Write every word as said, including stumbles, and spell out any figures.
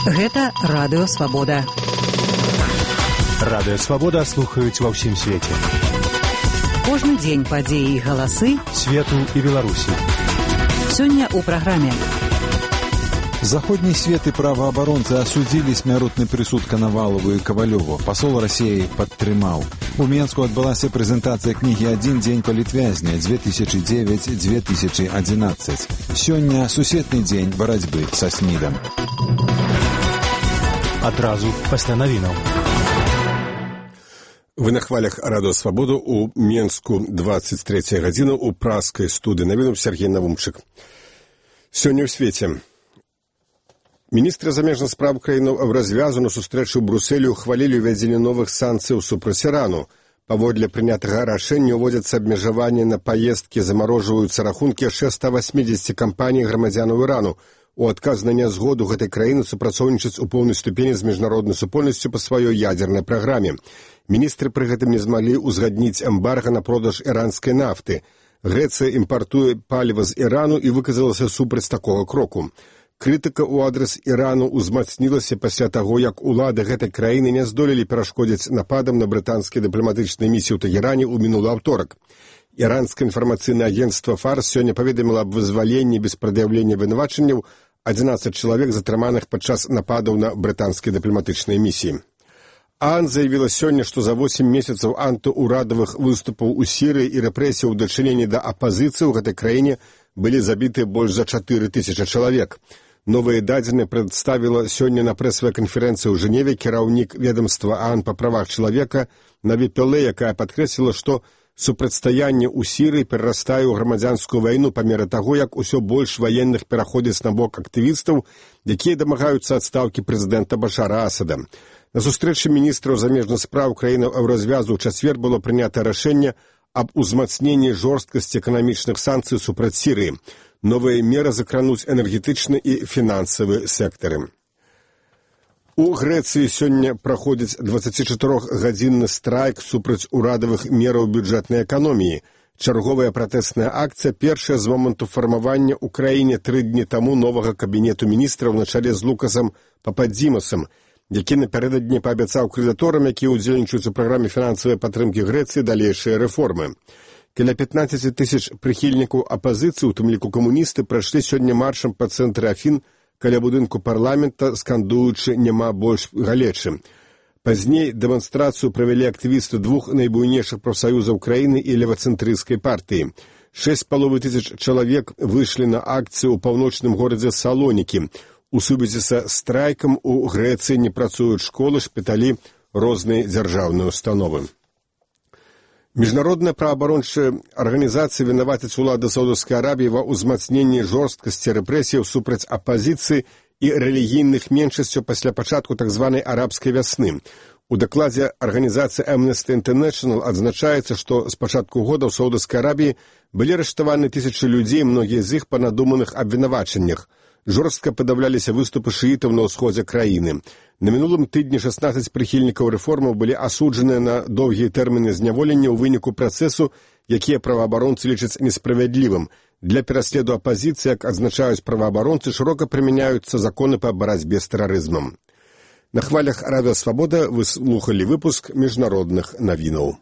Гэта Радыё Свабода. Радыё Свабода слухаюць ва ўсім свеце. Кожны дзень падзеі і галасы свету і Беларусі. Сёння ў праграме. Заходний свет и правооборонцы осудили смяротны прысуд Коновалову и Ковалеву. Посол России падтрымаў. У Менску адбылася прэзентацыя кнігі «Адзін дзень палітвязня две тысячи девять - две тысячи одиннадцать». Сёння сусветны дзень барацьбы са СМИДом. Адразу пасля навінаў. Вы на хвалях Радыё Свабоду у Менску двадцать третья гадзіна у праскай студыі. Навінуў Сергей Навумчык. Сёння ў свеце. Міністры замежных спраў краіны ў развязу на сустрэчу ў Брусэлі ухвалілі ўвядзенне новых санкцыяў супраць Ірану. Паводле прынятага рашэння ўводзяцца абмежаванні на паездкі, замарожваюцца рахункі яшчэ ста восьмидесяти кампаній грамадзянаў Ірану. У адказ на нязгоду гэтай краіны супрацоўнічаць у поўнай ступені з міжнароднай супольнасцю па сваёй ядзернай праграме. Міністры пры гэтым не змаглі ўзгадніць эмбарга на продаж іранскай нафты. Грэцыя імпартуе паліва з Ірану і выказалася супраць такога кроку. Крытыка ў адрас Ірану ўзмацнілася пасля таго, як улады гэтай краіны не здолелі перашкодзіць нападам на брытанскія дыпламатычныя місіі ў Тэгеране ў мінулы аўторак. Іранскае інфармацыйнае агенцтва «Фарс» сёння паведаміла аб вызваленні без прад'яўлення вінавачанняў адзінаццаць чалавек, затрыманых падчас нападаў на брытанскія дыпламатычныя місіі. ААН заявіла сёння, што за восем месяцаў антыурадавых выступаў у Сірыі і рэпрэсій у дачыненні да апазіцыі ў гэтай краіне былі забіты больш за чатыры тысячы чалавек. Новыя дадзеныя прадставіла сёння на прэсавай канферэнцыі ў Жэневе кіраўнік ведамства ААН па правах чалавека Наві Пілэй, якая падкрэсліла, што супрацьстаянне ў Сірыі перарастае ў грамадзянскую вайну па меры таго, як усё больш ваенных пераходзіць на бок актывістаў, якія дамагаюцца адстаўкі прэзідэнта Башара Асада. На сустрэчы міністраў замежных спраў краінаў Еўразвязу ў чацвер было прынята рашэнне аб узмацненні жорсткасці эканамічных санкцый супраць Сірыі. Новыя меры закрануць энергетычны і фінансавы сектары. У Грэцыі сёння праходзіць дваццацічатырохгадзінны страйк супраць урадавых мераў бюджэтнай эканоміі. Чарговая пратэсная акцыя першая з моманту фармавання ў краіне тры дні таму новага кабінету міністраў на чале з Лукасам Пападзімасам, які напярэдадні паабяцаў крэдыторам, якія ўдзельнічаюць у праграме фінансавай падтрымкі Грэцыі, далейшыя рэформы. Каля пятнадцать тысяч прыхільнікаў апазіцыі, у тым ліку камуністы, прайшлі сёння маршам па цэнтры Афін каля будынку парламента, скандуючы «Няма больш галечы». Пазней дэманстрацыю правялі актывісты двух найбуйнейшых прафсаюзаў краіны і левацэнтрысцкай партыі. Шэсць з паловай тысяч чалавек выйшлі на акцыю ў паўночным горадзе Салонікі. У сувязі са страйкам у Грэцыі не працуюць школы, шпіталі, розныя дзяржаўныя установы. Міжнародная праваабарончая арганізацыя вінавацяць улады Саудаўскай Арабіі ва ўзмацненні жорсткасці рэпрэсіяў супраць апазіцыі і рэлігійных меншасцяў пасля пачатку так званай арабскай вясны. У дакладзе арганізацыі Amnesty International адзначаецца, што з пачатку года ў Саудаўскай Арабіі былі арыштаваны тысячы людзей, многія з іх па надуманых абвінавачаннях. Жорстка падаўляліся выступы шыітаў на ўсходзе краіны. На мінулым тыдні шаснаццаць прыхільнікаў рэформаў былі асуджаныя на доўгія тэрміны зняволення ў выніку працэсу, якія праваабаронцы лічаць несправядлівым. Для пераследу апазіцыі, як адзначаюць праваабаронцы, шырока прымяняюцца законы па барацьбе з тэрарызмам. На хвалях Радыё Свабода вы слухалі выпуск міжнародных навінаў.